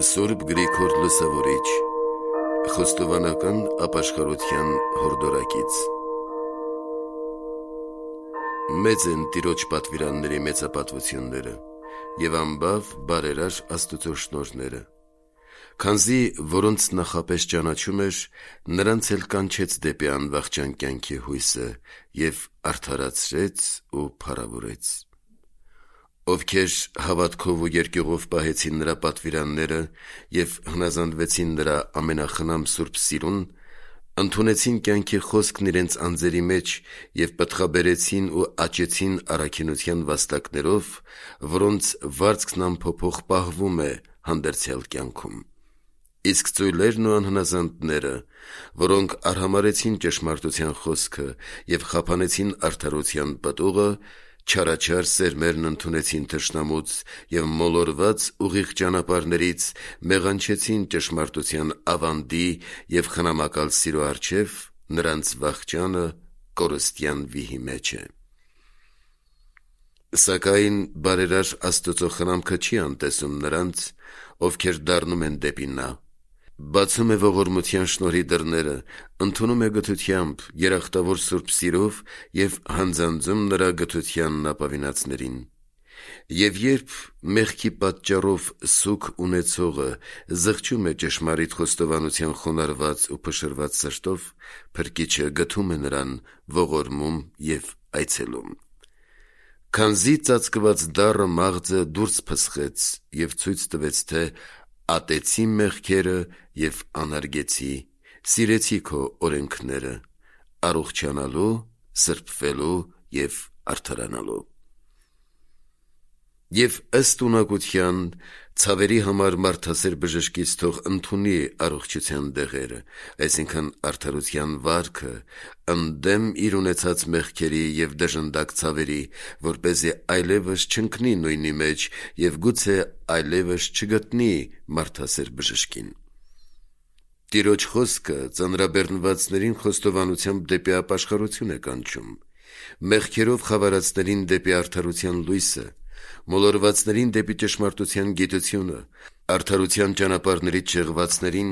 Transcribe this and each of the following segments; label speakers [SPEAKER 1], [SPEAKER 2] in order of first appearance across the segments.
[SPEAKER 1] Սուրբ Գրիգոր Լուսավորիչ, Խոստովանական ապաշխարության հորդորակից։ Մեծ են Տիրոջ պատվիրանների մեծապատվությունները և անբավ բարերար Աստուծո շնորհները, քանզի որոնց նախապես ճանաչում էր, նրանց էլ կանչեց դեպի անվախճան կյանքի հույսը և արդարացրեց ու փառավորեց։ Ովքեր հավատքով ու երկյուղով պահեցին նրա պատվիրանները և հնազանդվեցին նրա ամենախնամ սուրբ սիրուն, ընդունեցին կյանքի խոսքն իրենց անձերի մեջ և պտղաբերեցին ու աճեցին առաքինության վաստակներով, որոնց վարձքն անփոփոխ պահվում է հանդերձյալ կյանքում։ Իսկ ծույլերն ու անհնազանդները, որոնք արհամարհեցին ճշմարտության խոսքը և խափանեցին արդարության պտուղը, չարաչար սերմերն ընդունեցին թշնամուց և մոլորված ուղիղ ճանապարհներից մեղանչեցին ճշմարտության ավանդի և խնամակալ սիրո առջև, նրանց վախճանը կորստյան վիհի մեջ է։ Սակայն բարերար Աստուծո խնամքը չի անտեսում նրանց, ովքեր դառնում են դեպի նա, բացում է ողորմության շնորհի դռները, ընդունում է գթությամբ, երախտավոր սուրբ սիրով և հանձանձում նրա գթությանն ապավինածներին։ Եվ երբ մեղքի պատճառով սուգ ունեցողը զղջում է ճշմարիտ խոստովանության խոնարհված ու փշրված սրտով, Փրկիչը գթում է նրան, ողորմում և այցելում։ Քանզի ծածկված դառը մաղձը դուրս փսխեց և ցույց տվեց, թե ատեցի մեղքերը և անարգեցի, սիրեցի քո օրենքները, առողջանալու, սրբվելու և արդարանալու։ Եվ ըստ ունակության ցավերի համար մարդասեր բժշկից թող ընդունի առողջության դեղերը, այսինքն արդարության վարքը, ընդդեմ իր ունեցած մեղքերի և դժնդակ ցավերի, որպեսզի այլևս չընկնի նույնի մեջ և գուցե այլևս չգտնի մարդասեր բժշկին։ Տիրոջ խոսքը ծանրաբեռնվածներին խոստովանությամբ դեպի ապաշխարություն է կանչում, մեղքերով խավարածներին դեպի արդարության լույսը, մոլորվածներին դեպի ճշմարտության գիտությունը, արդարության ճանապարհներից շեղվածներին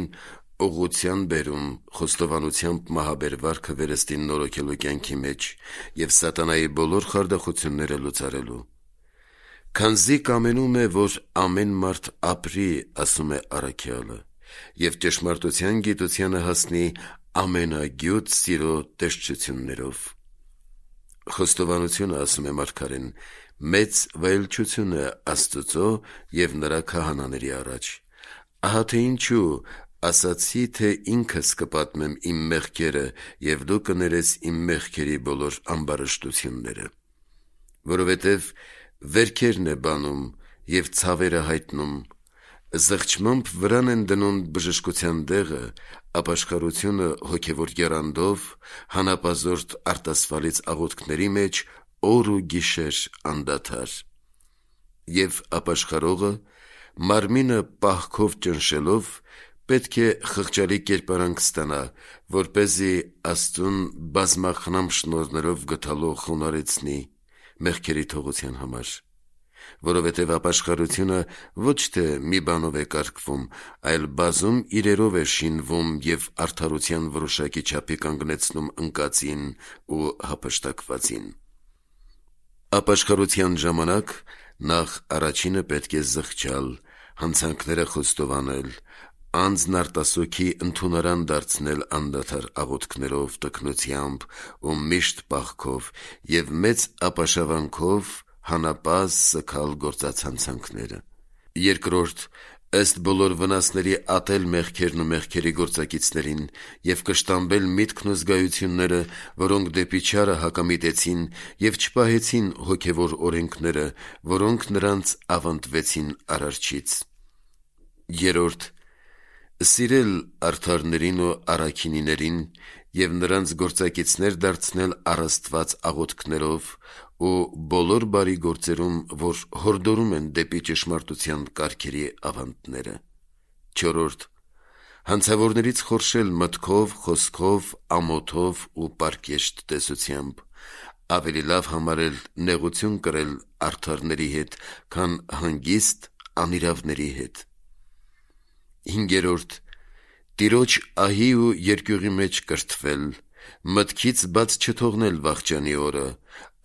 [SPEAKER 1] ուղղության բերում, խոստովանությամբ մահաբեր վերստի նորոգելու կյանքի մեջ և սատանայի բոլոր խարդախությունները լուծարելու։ Քանզի կամենում է, որ ամեն մարդ ապրի, ասում է առաքյալը, և ճշմարտության գիտությանը հասնի ամենագյուտ սիրո տեսչություններով։ Խոստովանությունը, ասում է մարգարեն, մեծ վայելչություն է Աստծո և նրա քահանաների առաջ։ Ահա թե ինչու ասացի, թե ինքս կպատմեմ իմ մեղքերը, և դու կներես իմ մեղքերի բոլոր ամբարշտությունները։ Որովհետև վերքերն է բանում և ցավերը հայտնում, զղջմամբ վրան են դնում բժշկության դեղը, ապաշխարությունը հոգևոր եռանդով, հանապազորդ արտասվալից աղոթքների մեջ օր ու գիշեր անդադար։ Եվ ապաշխարողը, մարմինը պահքով ճնշելով, պետք է խղճալի կերպարանք ստանա, որպեսզի Աստծուն բազմախնամ շնորհներով գթալով խոնարհեցնի մեղքերի թողության համար։ Որովհետև ապաշխարությունը ոչ թե մի բանով է կարգվում, այլ բազում իրերով է շինվում և արդարության որոշակի չափի կանգնեցնում ընկածին ու հափշտակվածին։ Ապաշխարության ժամանակ նախ առաջինը պետք է զղջալ, հանցանքները խոստովանել, անձն արտասոքի ընդունարան դարձնել անդադար աղոթքներով, տքնությամբ ու միշտ պահքով և մեծ ապաշավանքով հանապազտ սգալ գործած հանցանքները։ Երկրորդ, ըստ բոլոր վնասների ատել մեղքերն ու մեղքերի գործակիցներին և կշտամբել միտքն ու զգայությունները, որոնք դեպի չարը հակամիտեցին և չպահեցին հոգևոր օրենքները, որոնք նրանց ավանդվեցին Արարչից։ Երրորդ, սիրել արդարներին ու առաքինիներին և նրանց գործակիցներ դարձնել առ Աստված աղոթքներով ու բոլոր բարի գործերում, որ հորդորում են դեպի ճշմարտության կարգերի ավանդները։ Չորրորդ, հանցավորներից խորշել մտքով, խոսքով, ամոթով ու պարկեշտ տեսությամբ, ավելի լավ համարել նեղություն կրել արդարների հետ, քան հանգիստ անիրավների հետ։ 5. Տիրոջ ահի ու երկյուղի մեջ կրթվել, մտքից բաց չթողնել վախճանի օրը,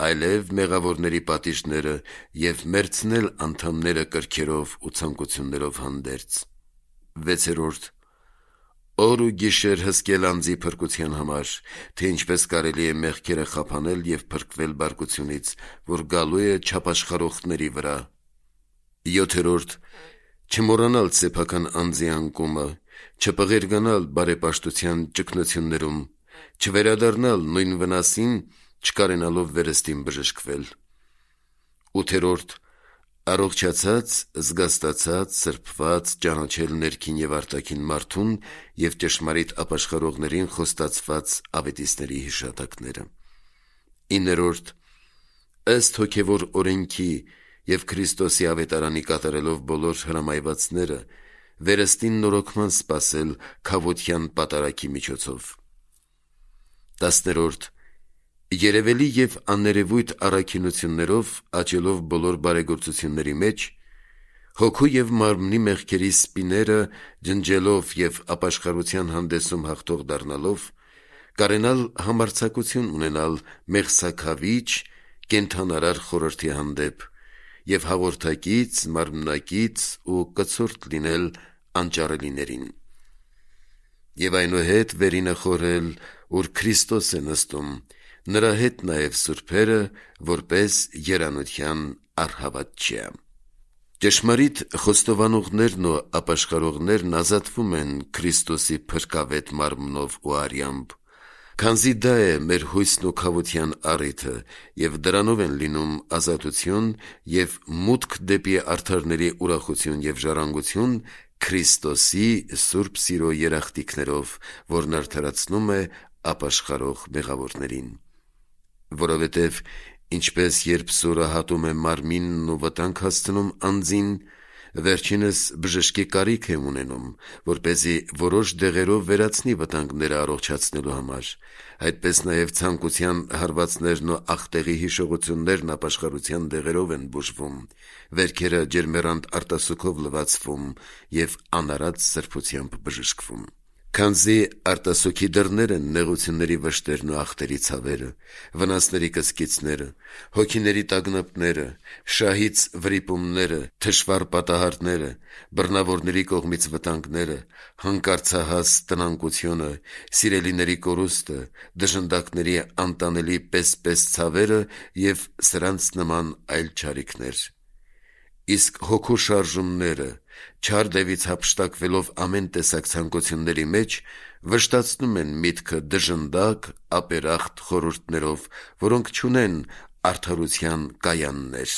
[SPEAKER 1] այլև մեղավորների պատիժները և մերձնել անդամները կրքերով ու ցանկություններով հանդերձ։ 6. Օր ու գիշեր հսկել անձի փրկության համար, թե ինչպես կարելի է մեղքերը խափանել և փրկվել բարկությունից, որ գալու է չապաշխարողների վրա։ 7. Չմոռանալ սեփական անձի անկումը, չպղերգանալ բարեպաշտության ճգնություններում, չվերադառնալ նույն վնասին, չկարենալով վերստին բժշկվել։ 8. Առողջացած, զգաստացած, սրբված, ճանաչել ներքին և արտաքին մարդուն և ճշմարիտ ապաշխարողներին խոստացված ավետիստների հիշատակները։ 9. Ըստ հոգևոր օրենքի և Քրիստոսի ավետարանի կատարելով բոլոր հրամայվածները, վերստին նորոգման սպասել քավոթյան պատարագի միջոցով։ 10. Երևելի և աներևույթ առաքինություններով աճելով բոլոր բարեգործությունների մեջ, հոգու և մարմնի մեղքերի սպիները ջնջելով և ապաշխարության հանդեսում հաղթող դառնալով, կարենալ համարձակություն ունենալ մեղսաքավիչ, կենդանարար խորհրդի հանդեպ և հաղորդակից, մարմնակից ու կցորդ լինել անճարելիներին։ Եվ այնուհետ վերինը խորհել, ուր Քրիստոս է նստում, նրա հետ նաև սուրբերը, որպես երանության առհավատչյա։ Ճշմարիտ խոստովանողներն ու ապաշխարողներն ազատվում են Քրիստոսի փրկավետ մարմնով ու արյամբ, քանզի դա է մեր հույսն ու քավոթյան առիթը, և դրանով են լինում ազատություն և մուտք դեպի արդարների ուրախություն և ժառանգություն Քրիստոսի սուրբ սիրո երախտիկներով, որն արդարացնում է ապաշխարող մեղավորներին։ Որովհետև ինչպես երբ սուրը հատում է մարմինն ու վտանգ հասցնում անձին, վերջինս բժշկի կարիք է ունենում, որպեսզի որոշ դեղերով վերացնի վտանգները առողջացնելու համար, այդպես նաև ցանկության հարվածներն ու ախտեղի հիշողություններն ապաշխարության դեղերով են բուժվում, վերքերը ջերմեռանդ արտասուքով լվացվում և անարատ սրբությամբ բժշկվում։ Քանզի արտասուքի դռներ են նեղությունների վշտերն ու ախտերի ցավերը, վնասների կսկիծները, հոգիների տագնապները, շահից վրիպումները, թշվառ պատահարները, բռնավորների կողմից վտանգները, հանկարծահաս տնանկությունը, սիրելիների կորուստը, դժնդակների անտանելի պես-պես ցավերը և սրանց նման այլ չարիքներ։ Իսկ հոգու շարժումները, չար դևից հափշտակվելով ամեն տեսակ ցանկությունների մեջ, վշտացնում են միտքը դժնդակ, ապերախտ խորհուրդներով, որոնք չունեն արդարության կայաններ։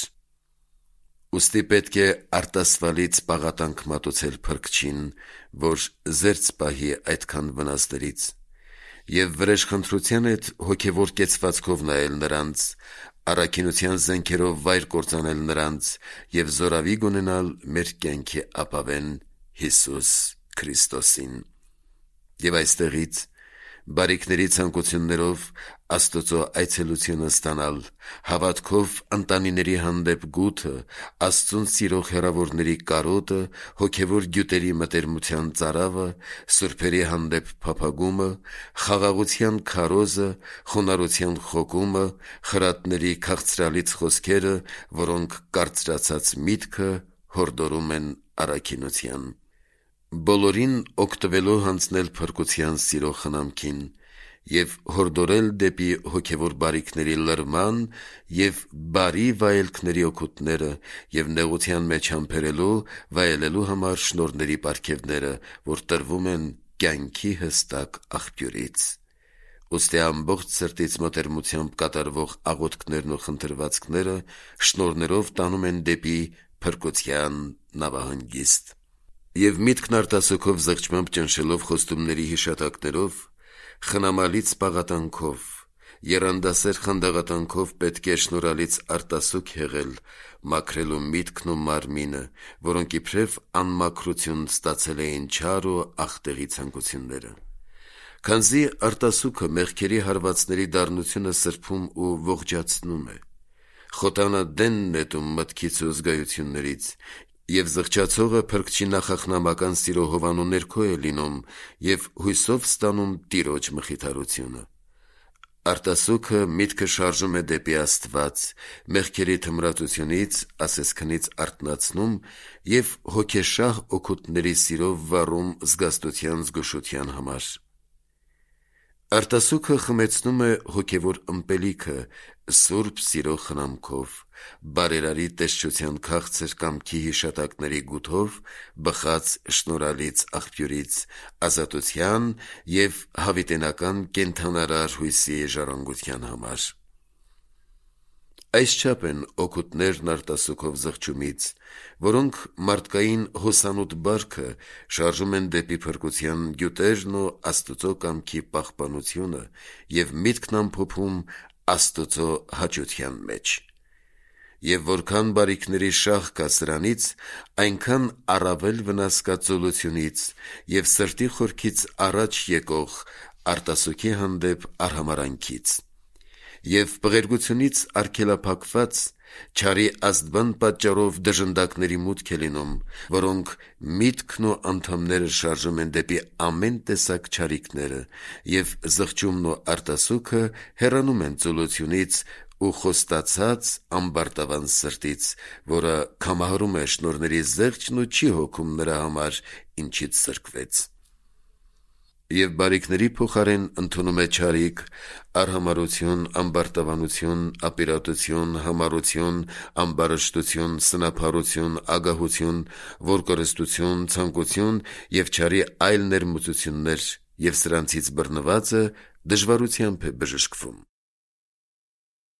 [SPEAKER 1] Ուստի պետք է արտասվալից պաղատանք մատուցել Փրկչին, որ զերծ պահի այդքան վնասներից, և վրեժխնդրության հետ հոգևոր կեցվածքով նայել նրանց, առաքինության զենքերով վայր կործանել նրանց և զորավի ունենալ մեր կյանքի ապավեն Հիսուս Քրիստոսին։ Եվ այստեղից բարիքների ցանկություններով Աստծո այցելությունը ստանալ, հավատքով ընտանիների հանդեպ գութը, Աստծուն սիրող հեռավորների կարոտը, հոգևոր գյուտերի մտերմության ծարավը, սուրբերի հանդեպ փափագումը, խաղաղության քարոզը, խոնարհության խոկումը, խրատների քաղցրալից խոսքերը, որոնք կարծրացած միտքը հորդորում են առաքինության։ Բոլորին օգտվելով հանձնել փրկության սիրո խնամքին և հորդորել դեպի հոգևոր բարիքների լրման և բարի վայելքների օգուտները և նեղության մեջ համբերելու, վայելելու համար շնորհների պարգևները, որ տրվում են կյանքի հստակ աղբյուրից։ Ուստի ամբողջ սրտից մտերմությամբ կատարվող աղոթքներն ու խնդրվածքները շնորհներով տանում են դեպի փրկության նավահանգիստ։ Եվ միտքն արտասուքով զղջմամբ ճնշելով խոստումների հիշատակներով, խնամալից պաղատանքով, եռանդասեր խանդաղատանքով պետք է շնորհալից արտասուք հեղել, մաքրելու միտքն ու մարմինը, որոնք իբրև անմաքրություն ստացել էին չար ու ախտեղի ցանկությունները։ Քանզի արտասուքը մեղքերի հարվածների դառնությունը սրբում ու ողջացնում է, խոտանադենն նետում մտքից ու զգայություններից Եվ զղջացողը փրկչի նախախնամական սիրո հովանու ներքո է լինում և հույսով ստանում Տիրոջ մխիթարությունը։ Արտասուքը միտքը շարժում է դեպի Աստված, մեղքերի թմրածությունից, ասեսքնից արթնացնում և հոգեշահ օգուտների սիրով վառում զգաստության զգուշության համար։ Արտասուքը խմեցնում է հոգևոր ըմպելիքը սուրբ սիրո խնամքով, բարերարի տեսչության քաղցր կամքի հիշատակների գութով բխած շնորհալից աղբյուրից, ազատության և հավիտենական կենդանարար հույսի ժառանգության համար։ Այսչափ են օգուտներն արտասուքով զղջումից, որոնք մարդկային հոսանոտ բարքը շարժում են դեպի փրկության գյուտերն ու Աստծո կամքի պահպանությունը և միտքն ամփոփում Աստծո հաճության մեջ։ Եվ որքան բարիքների շահ կա սրանից, այնքան առավել վնաս կա ծոլությունից և սրտի խորքից առաջ եկող արտասուքի հանդեպ արհամարհանքից։ Եվ բղերգությունից արգելափակված չարի ազդվան պատճառով դժնդակների մուտք է լինում, որոնք միտքն ու անդամները շարժում են դեպի ամեն տեսակ չարիքները, և զղջումն ու արտասուքը հեռանում են ծոլությունից ու խոստացած ամբարտավան սրտից, որը քամահարում է շնորհների զեղչն ու չի հոգում նրա համար, ինչից սրկվեց։ Եվ բարիքների փոխարեն ընդունում է չարիք, արհամարհություն, ամբարտավանություն, ապիրատություն, համառություն, ամբարշտություն, սնափառություն, ագահություն, որկորստություն, ցանկություն և չարի այլ ներմուծություններ, և սրանցից բռնվածը դժվարությամբ է բժշկվում։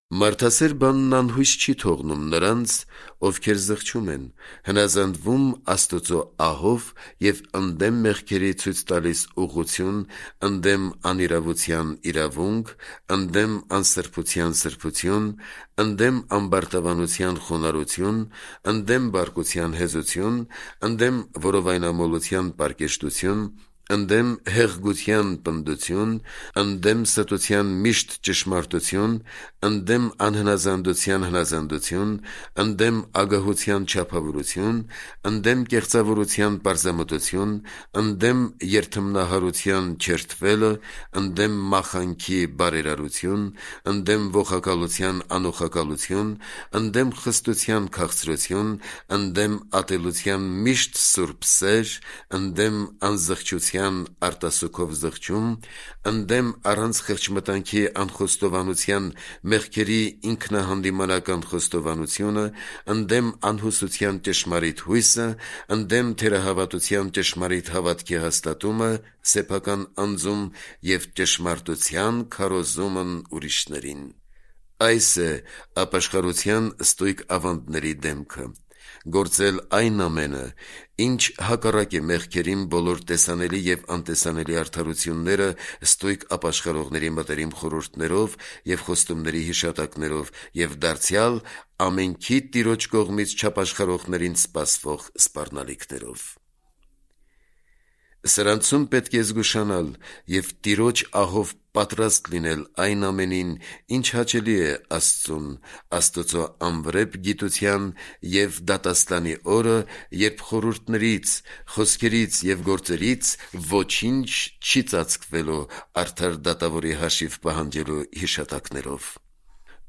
[SPEAKER 1] Մարդասեր բանն անհույս չի թողնում նրանց, ովքեր զղջում են, հնազանդվում Աստծո ահով և ընդդեմ մեղքերի ցույց տալիս ուղղություն, ընդդեմ անիրավության իրավունք, ընդդեմ անսրբության սրբություն, ընդդեմ ամբարտավանության խոնարհություն, ընդդեմ բարկության հեզություն, ընդդեմ որովայնամոլության պարկեշտություն, ընդդեմ հեղգության պնդություն, ընդդեմ ստության միշտ ճշմարտություն, ընդդեմ անհնազանդության հնազանդություն, ընդդեմ ագահության չափավորություն, ընդդեմ կեղծավորության պարզամտություն, ընդդեմ երդմնահարության չերթվելը, ընդդեմ մախանքի բարերարություն, ընդդեմ ողակալության անոխակալություն, ընդդեմ խստության քաղցրություն, ընդդեմ ատելության միշտ սուրբ սեր, ընդդեմ անզղջության արտասուքով զղջում, ընդդեմ առանց խեղճմտանքի անխոստովանության մեղքերի ինքնահանդիմանական խոստովանությունը, ընդդեմ անհուսության ճշմարիտ հույսը, ընդդեմ թերահավատության ճշմարիտ հավատքի հաստատումը սեփական անձում և ճշմարտության քարոզումն ուրիշներին։ Այս է ապաշխարության ստույգ ավանդների դեմքը։ Գործել այն ամենը, ինչ հակառակ է մեղքերին բոլոր տեսանելի և անտեսանելի արդարությունները ստույգ ապաշխարողների մտերիմ խորհուրդներով և խոստումների հիշատակներով և դարձյալ ամենքի Տիրոջ կողմից չապաշխարողներին սպասվող սպառնալիքներով։ Սրանցում պետք է զգուշանալ և Տիրոջ ահով պատրաստ լինել այն ամենին, ինչ հաճելի է Աստծուն, Աստծո անվրեպ գիտության և դատաստանի օրը, երբ խորհուրդներից, խոսքերից և գործերից ոչինչ չի ծածկվելու արդար դատավորի հաշիվ պահանջելու հիշատակներով։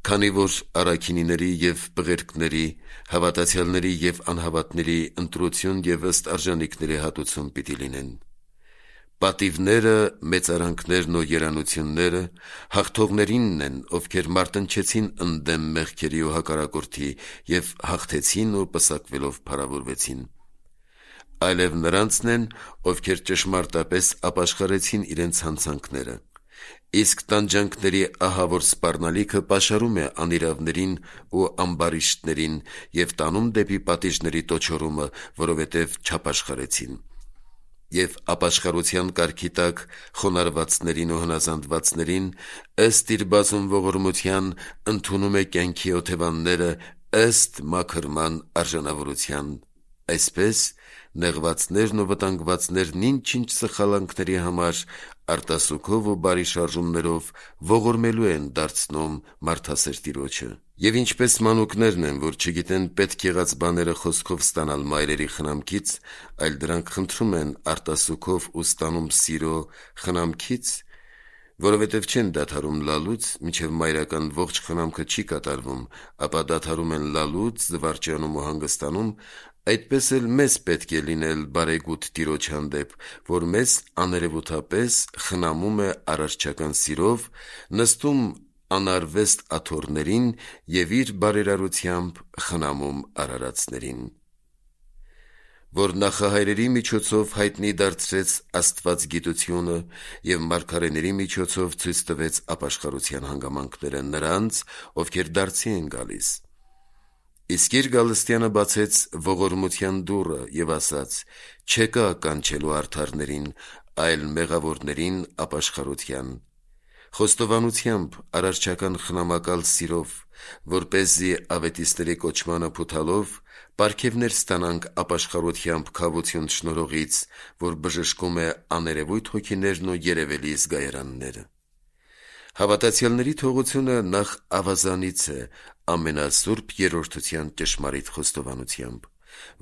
[SPEAKER 1] Քանի որ առաքինիների և բղերկների, հավատացյալների և անհավատների ընտրություն և ըստ արժանիքների հատուցում պիտի լինեն։ Պատիվները, մեծարանքներն ու երանությունները հաղթողներինն են, ովքեր մարտնչեցին ընդդեմ մեղքերի ու հակառակորդի և հաղթեցին ու պսակվելով փառավորվեցին։ Այլև նրանցն են, ովքեր ճշմարտապես ապաշխարեցին իրենց հանցանքները։ Իսկ տանջանքների ահավոր սպառնալիքը պաշարում է անիրավներին ու ամբարիշտներին և տանում դեպի պատիժների տոչորումը, որովհետև չապաշխարեցին։ Եվ ապաշխարության կարգի տակ խոնարհվածներին ու հնազանդվածներին, ըստ իր բազում ողորմության, ընդունում է կյանքի օթևանները ըստ մաքրման արժանավորության։ Այսպես նեղվածներն ու վտանգվածներն ինչ-ինչ սխալանքների համար արտասուքով ու բարի շարժումներով ողորմելու են դարձնում մարդասեր Տիրոջը։ Եվ ինչպես մանուկներն են, որ չգիտեն պետք եղած բաները խոսքով ստանալ մայրերի խնամքից, այլ դրանք խնդրում են արտասուքով ու ստանում սիրո խնամքից, որովհետև չեն դադարում լալուց, մինչև մայրական ողջ խնամքը չի կատարվում, ապա դադարում են լալուց, զվարճանում ու հանգստանում, այդպես էլ մեզ պետք է լինել բարեգութ Տիրոջ հանդեպ, որ մեզ աներևութապես խնամում է արարչական սիրով, նստում անարվեստ աթոռներին և իր բարերարությամբ խնամում արարածներին, որ նախահայրերի միջոցով հայտնի դարձրեց աստվածգիտությունը և մարգարեների միջոցով ցույց տվեց ապաշխարության հանգամանքները նրանց, ովքեր դարձի են գալիս։ Իսկ իր գալստյանը բացեց ողորմության դուռը և ասաց. «Չեկա կանչելու արդարներին, այլ մեղավորներին ապաշխարության»։ Խոստովանությամբ, արարչական խնամակալ սիրով, որպեսզի ավետիստների կոչմանը փութալով պարգևներ ստանանք ապաշխարությամբ քավություն շնորհողից, որ բժշկում է աներևույթ հոգիներն ու երևելի զգայարանները։ Հավատացյալների թողությունը նախ ավազանից է ամենասուրբ երրորդության ճշմարիտ խոստովանությամբ,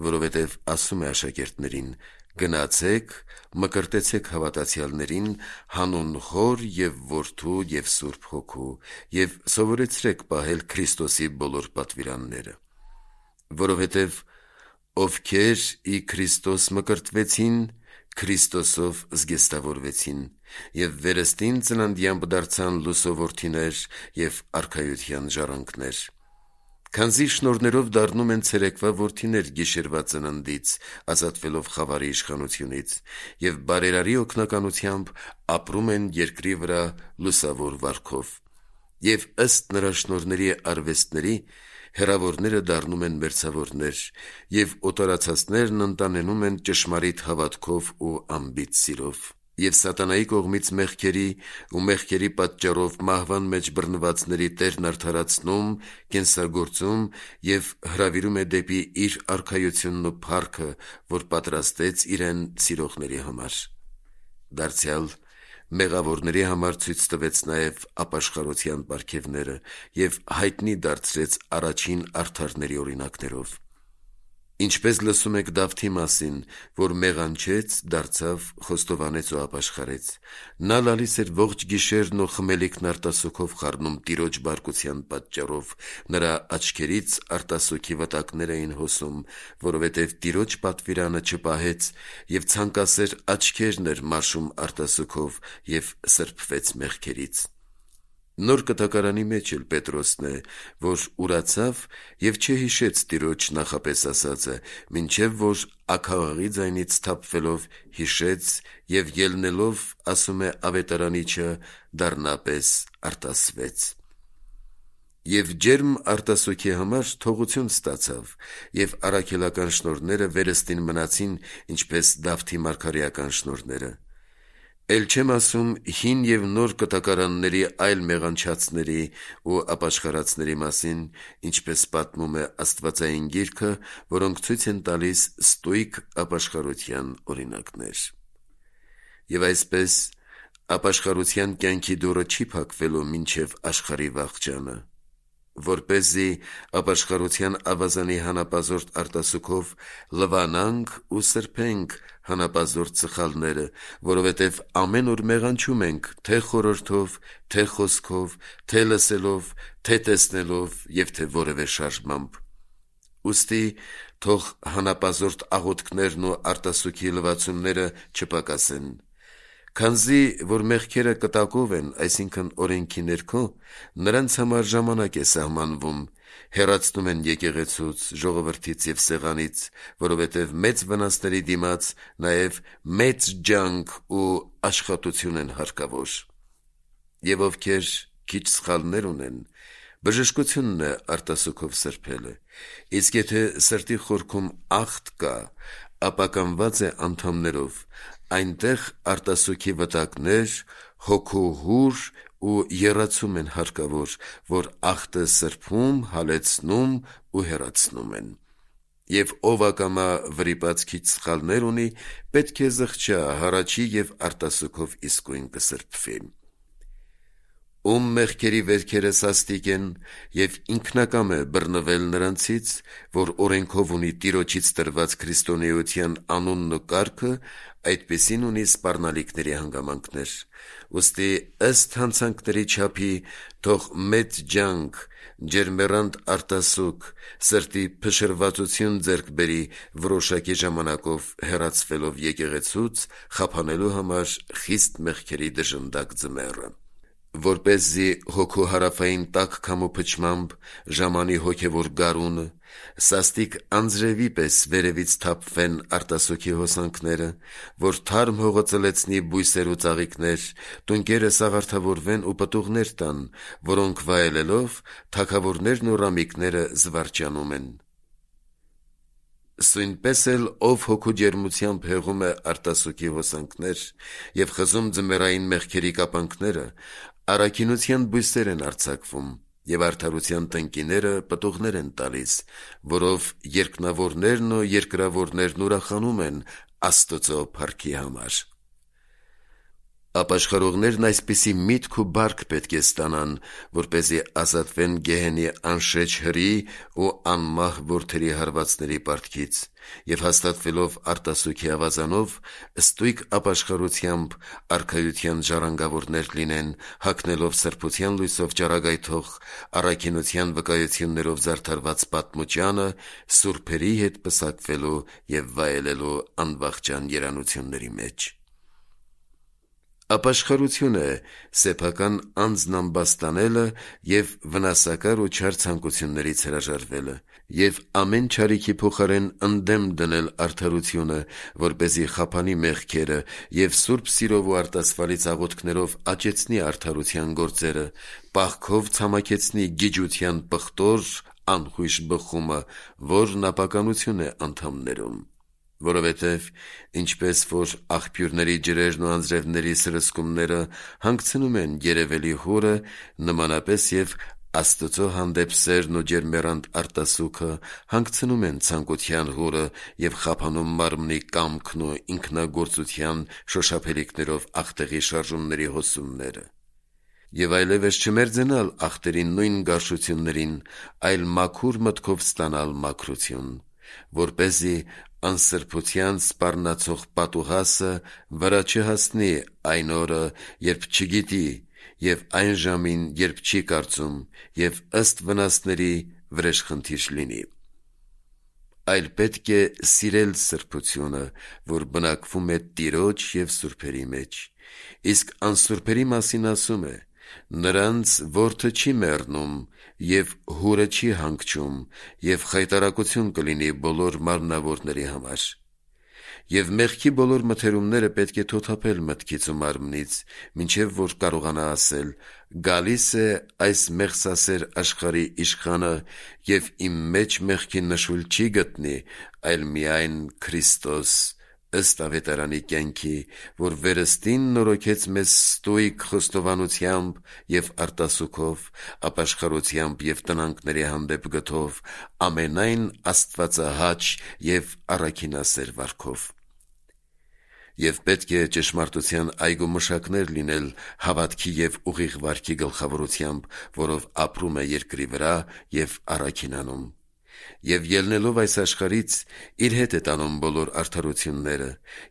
[SPEAKER 1] որովհետև ասում է աշակերտներին. «Գնացեք, մկրտեցեք հավատացյալներին հանուն Հոր և Որդու և Սուրբ Հոգու և սովորեցրեք պահել Քրիստոսի բոլոր պատվիրանները, որովհետև ովքեր ի Քրիստոս մկրտվեցին, Քրիստոսով զգեստավորվեցին և վերստին ծննդյամբ դարձան լույսով որդիներ և արքայության ժառանգներ, քանզի շնորհներով դառնում են ցերեկվա որդիներ գիշերվա ծննդից, ազատվելով խավարի իշխանությունից և բարերարի օգնականությամբ ապրում են երկրի վրա լուսավոր վարքով, և ըստ նրա շնորհների արվեստների հեռավորները դառնում են մերձավորներ, և օտարացածներն ընտանենում են ճշմարիտ հավատքով ու անբիծ սիրով, և սատանայի կողմից մեղքերի ու մեղքերի պատճառով մահվան մեջ բռնվածների Տերն արդարացնում, կենսագործում և հրավիրում է դեպի իր արքայությունն ու փառքը, որ պատրաստեց իրեն սիրողների համար։ Դարձյալ մեղավորների համար ցույց տվեց նաև ապաշխարության պարգևները և հայտնի դարձրեց առաջին արդարների օրինակներով։ Ինչպես լսում եք Դավթի մասին, որ մեղանչեց, դարձավ, խոստովանեց ու ապաշխարեց։ Նա լալիս էր ողջ գիշերն ու խմելիքն արտասուքով խառնում Տիրոջ բարկության պատճառով, նրա աչքերից արտասուքի վտակներ էին հոսում, որովհետև Տիրոջ պատվիրանը չպահեց և ցանկասեր աչքերն էր մաշում արտասուքով և սրբվեց մեղքերից։ Նոր Կտակարանի մեջ էլ Պետրոսն է, որ ուրացավ և չհիշեց Տիրոջ նախապես ասածը, մինչև որ աքաղաղի ձայնից սթափվելով հիշեց և ելնելով, ասում է ավետարանիչը, դառնապես արտասվեց։ Եվ ջերմ արտասուքի համար թողություն ստացավ, և առաքելական շնորհները վերստին մնացին, ինչպես Դավթի մարգարեական շնորհները։ Էլ չեմ ասում հին և նոր կտակարանների այլ մեղանչածների ու ապաշխարածների մասին, ինչպես պատմում է Աստվածային Գիրքը, որոնք ցույց են տալիս ստույգ ապաշխարության օրինակներ։ Եվ այսպես, ապաշխարության կյանքի դուռը չի փակվելու մինչև աշխարհի վախճանը, որպեսզի ապաշխարության ավազանի հանապազորդ արտասուքով լվանանք ու սրբենք հանապազորդ սխալները, որովհետև ամեն օր մեղանչում ենք թե խորհրդով, թե խոսքով, թե լսելով, թե տեսնելով և թե որևէ շարժմամբ։ Ուստի թող հանապազորդ աղոթքներն ու արտասուքի լվացումները չպակասեն, քանզի որ մեղքերը կտակով են, այսինքն օրենքի ներքո, նրանց համար ժամանակ է սահմանվում, հեռացնում են եկեղեցուց, ժողովրդից և սեղանից, որովհետև մեծ վնասների դիմաց նաև մեծ ջանք ու աշխատություն են հարկավոր։ Եվ ովքեր քիչ սխալներ ունեն, բժշկությունն է արտասուքով սրբելը, իսկ եթե սրտի խորքում աղտ կա, ապա կանված է անդամներով, այնտեղ արտասուքի վտակներ, հոգու հուր ու եռացում են հարկավոր, որ աղտը սրբում, հալեցնում ու հեռացնում են։ Եվ ով ակամա վրիպած քիչ սխալներ ունի, պետք է զղջա, հառաչի եւ արտասուքով իսկույն կսրբվի։ Ում մեղքերի վերքերը սաստիկ են եւ ինքնակամ է բռնվել նրանցից, որ օրենքով ունի Տիրոջից տրված քրիստոնեության անունն ու կարգը, այդպիսին ունի սպառնալիքների հանգամանքներ։ Ուստի ըստ հանցանքների չափի թող մեծ ջանք, ջերմեռանդ արտասուք, սրտի փշրվածություն ձեռք բերի որոշակի ժամանակով հեռացվելով եկեղեցուց, խափանելու համար խիստ մեղքերի դժնդակ ձմեռը, որպեսզի հոգու հարավային տաք քամու փչմամբ ժամանի հոգևոր գարունը, սաստիկ անձրևի պես վերևից թափվեն արտասուքի հոսանքները, որ թարմ հողը ծլեցնի բույսեր ու ծաղիկներ, տունկերը սաղարթավորվեն ու պտուղներ տան, որոնք վայելելով թագավորներն ու ռամիկները զվարճանում են։ Սույնպես էլ ով հոգու ջերմությամբ հեղում է արտասուքի հոսանքներ եւ խզում ձմեռային մեղքերի կապանքները, առաքինության բույսեր են արձակվում եւ արդարության տնկիները պտուղներ են տալիս, որով երկնավորներն ու երկրավորներն ուրախանում են Աստծո փառքի համար։ Ապաշխարողներն այսպիսի միտք ու բարք պետք է ստանան, որպեսզի ազատվեն գեհենի անշեջ հրի ու անմահ որդերի հարվածների պարտքից եւ հաստատվելով արտասուքի ավազանով, ստույգ ապաշխարությամբ արքայության ժառանգավորներ լինեն, հագնելով սրբության լույսով ճառագայթող առաքինության վկայություններով զարդարված պատմուճանը, սուրբերի հետ պսակվելու եւ վայելելու անվախճան երանությունների մեջ։ Ապաշխարություն է սեփական անձն ամբաստանելը եւ վնասակար ու չար ցանկություններից հրաժարվելը եւ ամեն չարիքի փոխարեն ընդդեմ դնել արդարությունը, որպեսզի խափանի մեղքերը եւ սուրբ սիրով ու արտասվալից աղոթքներով աճեցնի արդարության գործերը, պահքով ցամաքեցնի գիջության պղտոր անխույժ բխումը, որն ապականություն է անդամներում։ Որովհետև ինչպես որ աղբյուրների ջրերն ու անձրևների սրսկումները հանգցնում են երևելի հորը, նմանապես եւ Աստծո հանդեպ սերն ու ջերմեռանդ արտասուքը հանգցնում են ցանկության հորը եւ խափանում մարմնի կամքն ու ինքնագործության շոշափելիքներով աղտեղի շարժումների հոսումները։ Եվ այլևս չմերձենալ աղտերի նույն գարշություններին, այլ մաքուր մտքով ստանալ մաքրություն, որպեսզի անսրբության սպառնացող պատուհասը վրա չհասնի այն օրը, երբ չգիտի, եւ այն ժամին, երբ չի կարծում, եւ ըստ վնասների վրեժխնդիր լինի։ Այլ պետք է սիրել սրբությունը, որ բնակվում է Տիրոջ եւ սուրբերի մեջ, իսկ անսուրբերի մասին ասում է. նրանց որդը չի մեռնում եւ հուրը չի հանգչում եւ խայտարակություն կլինի բոլոր մարմնավորների համար։ Եվ մեղքի բոլոր մթերումները պետք է թոթափել մտքից ու մարմնից, մինչև որ կարողանա ասել. «Գալիս է այս մեղսասեր աշխարհի իշխանը եւ իմ մեջ մեղքի նշույլ չի գտնի, այլ միայն Քրիստոս, ըստ ավետարանի կյանքի, որ վերստին նորոգեց մեզ ստույգ խոստովանությամբ եւ արտասուքով, ապաշխարությամբ եւ տնանքների հանդեպ գթով, ամենայն աստվածահաճ եւ առաքինասեր վարքով»։ Եվ պետք է ճշմարտության այգու մշակներ լինել հավատքի եւ ուղիղ վարքի գլխավորությամբ, որով ապրում է երկրի վրա եւ առաքինանում։ Եվ ելնելով այս աշխարից իր հետ է տանում բոլոր արդարությունները,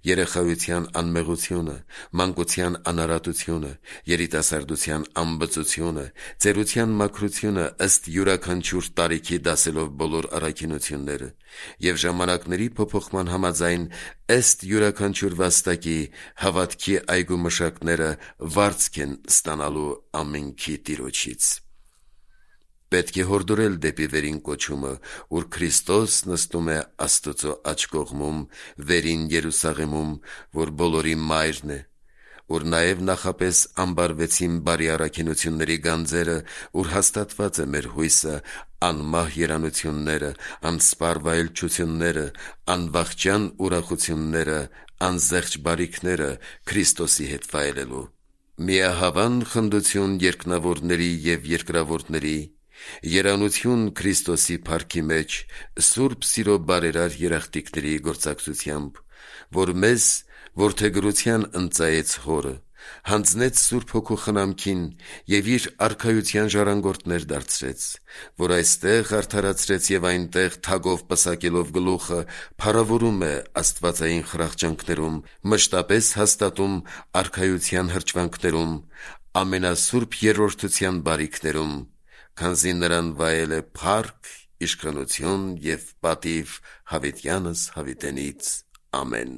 [SPEAKER 1] երեխայության անմեղությունը, մանկության անարատությունը, երիտասարդության անբծությունը, ծերության մաքրությունը ըստ յուրաքանչյուր տարիքի դասելով բոլոր առաքինությունները, եւ ժամանակների փոփոխման համաձայն ըստ յուրաքանչյուր վաստակի հավատքի այգու մշակները վարձք են ստանալու ամենքի Տիրոջից։ Պետք է հորդորել դեպի վերին կոչումը, ուր Քրիստոս նստում է Աստծո աջ կողմում, վերին Երուսաղեմում, որ բոլորի մայրն է, ուր նաև նախապես ամբարվեցին բարի առաքինությունների գանձերը, ուր հաստատված է մեր հույսը, անմահ երանությունները, անսպառ վայելչությունները, անվախճան ուրախությունները, անզեղչ բարիքները Քրիստոսի հետ վայելելու։ Միահավան խնդություն երկնավորների եւ երկրավորների Երանություն Քրիստոսի փառքի մեջ սուրբ սիրո բարերար երախտիկների գործակցությամբ, որ մեզ որդեգրության ընծայեց հորը, հանձնեց Սուրբ Հոգու խնամքին և իր արքայության ժառանգորդներ դարձրեց, որ այստեղ արդարացրեց և այնտեղ թագով պսակելով գլուխը փառավորում է աստվածային խրախճանքներում, մշտապես հաստատում արքայության հրճվանքներում, ամենասուրբ երրորդության բարիքներում, քանզի նրան վայել է փառք, իշխանություն և պատիվ հավիտյանս հավիտենից, ամեն։